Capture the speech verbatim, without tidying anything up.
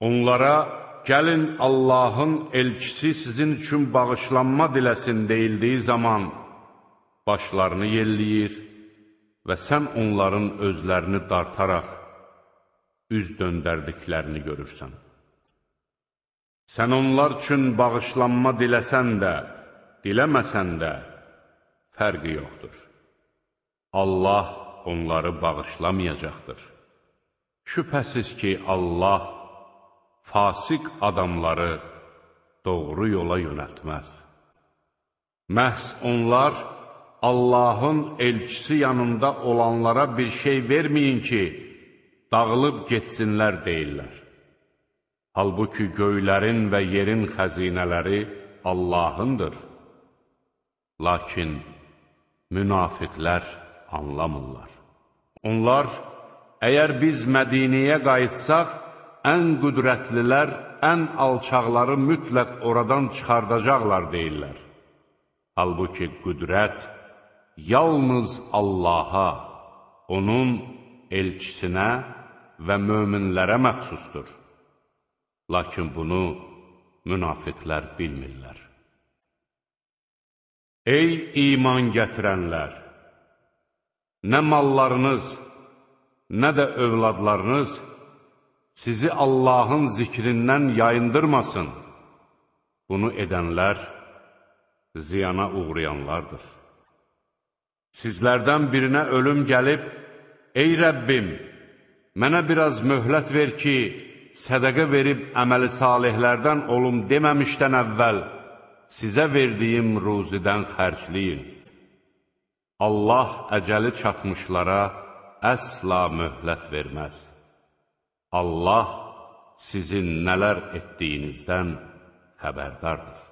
Onlara, gəlin Allahın elçisi sizin üçün bağışlanma diləsin deyildiyi zaman başlarını yelləyir və sən onların özlərini dartaraq üz döndərdiklərini görürsən. Sən onlar üçün bağışlanma diləsən də, diləməsən də fərqi yoxdur. Allah onları bağışlamayacaqdır. Şübhəsiz ki, Allah fasik adamları doğru yola yönəltməz. Məhz onlar Allahın elçisi yanında olanlara bir şey verməyin ki, dağılıb getsinlər deyirlər. Halbuki göylərin və yerin xəzinələri Allahındır. Lakin münafiqlər anlamırlar. Onlar, əgər biz Mədiniyə qayıtsaq, ən qüdrətlilər, ən alçaqları mütləq oradan çıxardacaqlar deyirlər. Halbuki qüdrət yalnız Allaha, onun elçisinə və möminlərə məxsusdur. Lakin bunu münafiqlər bilmirlər. Ey iman gətirənlər! Nə mallarınız, nə də övladlarınız sizi Allahın zikrindən yayındırmasın. Bunu edənlər ziyana uğrayanlardır. Sizlərdən birinə ölüm gəlib, ey Rəbbim, mənə biraz möhlət ver ki, sədəqə verib əməli salihlərdən olum deməmişdən əvvəl sizə verdiyim ruzidən xərcləyin. Allah əcəli çatmışlara əsla möhlət verməz. Allah sizin nələr etdiyinizdən xəbərdardır.